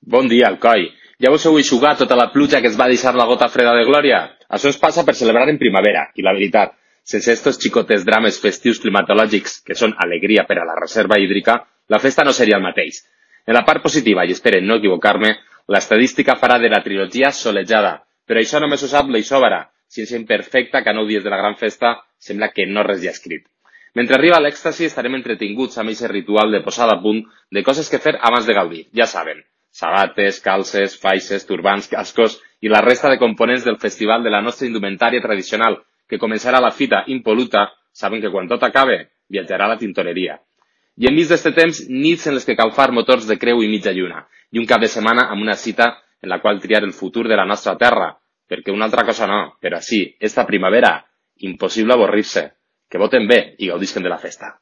Bon dia, Alcoi. Ja vos heu eixugat tota la pluja que es va deixar la gota freda de glòria? Això es passa per celebrar en primavera, i la veritat, sense estos xicotes drames festius climatològics, que són alegria per a la reserva hídrica, la festa no seria el mateix. En la part positiva, i esperen no equivocar-me, l'estadística farà de la trilogia solejada, però això només ho sap l'Eixòvara, ciència imperfecta que a 9 dies de la gran festa sembla que no res hi ha escrit. Mentre arriba l'èxtasi estarem entretinguts amb aquest ritual de posada a punt de coses que fer abans de gaudir, ja saben, sabates, calces, faixes, turbants, cascos i la resta de components del festival de la nostra indumentària tradicional, que començarà la fita impol·luta, saben que quan tot acabe, viatjarà a la tintoreria. I enmig d'este temps, nits en les que cal far motors de creu i mitja lluna, i un cap de setmana amb una cita en la qual triar el futur de la nostra terra, perquè una altra cosa no, però sí, esta primavera, impossible avorrir-se. Que voten bé i gaudisquen de la festa.